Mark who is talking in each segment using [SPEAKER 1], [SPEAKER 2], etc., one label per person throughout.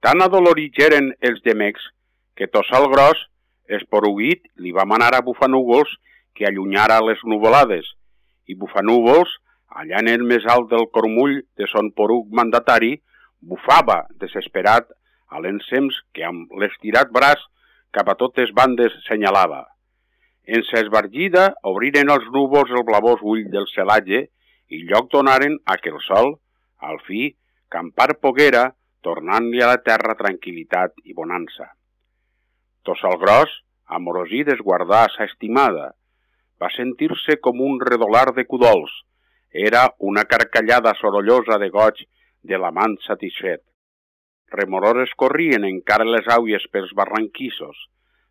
[SPEAKER 1] Tan adolorits eren els gemecs que Tossal Gros, esporuguit, li va manar a Bufanúvols que allunyara les nuvolades, i Bufanúvols, allà en el més alt del cormull de son poruc mandatari, bufava, desesperat, a l'ensems que amb l'estirat braç cap a totes bandes senyalava. En sa esbargida obriren els núvols el blavós ull del celatge i lloc donaren a que el sol, al fi, campar poguera, tornant-li a la terra tranquil·litat i bonança. Tossal Gros, amorosit esguardà sa estimada, va sentir-se com un redolar de cudols. Era una carcallada sorollosa de goig de l'amant satisfet. Remorores corrien encara les auies pels barranquissos.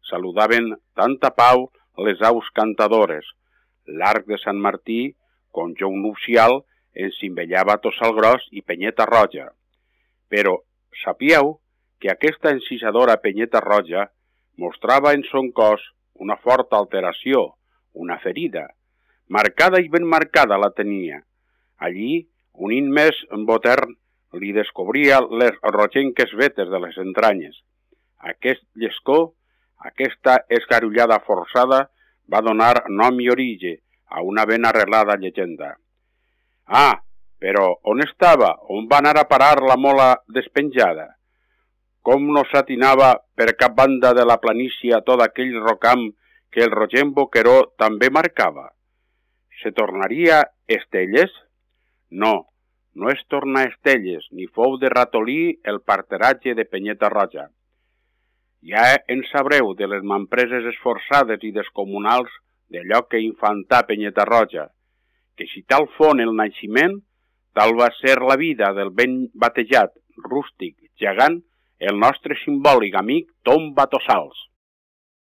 [SPEAKER 1] Saludaven tanta pau les aus cantadores. L'arc de Sant Martí, conjou nupcial, encimbellava Tossal Gros i Penyeta Roja. Però sapíeu que aquesta encisadora Penyeta Roja mostrava en son cos una forta alteració, una ferida. Marcada i ben marcada la tenia. Allí, un immès botern li descobria les rogenques vetes de les entranyes. Aquest llescó, aquesta esgarullada forçada, va donar nom i origen a una ben arrelada llegenda. Ah, però on estava? On va anar a parar la mola despenjada? Com no s'atinava per cap banda de la planícia tot aquell rocam que el rogent boqueró també marcava? Se tornaria Estelles? No, no es torna Estelles, ni fou de ratolí el parteratge de Penyeta Roja. Ja en sabreu de les mampreses esforçades i descomunals d'allò que infantà Penyeta Roja, que si tal fon el naixement, tal va ser la vida del ben batejat, rústic, gegant, el nostre simbòlic amic Tom Batossals.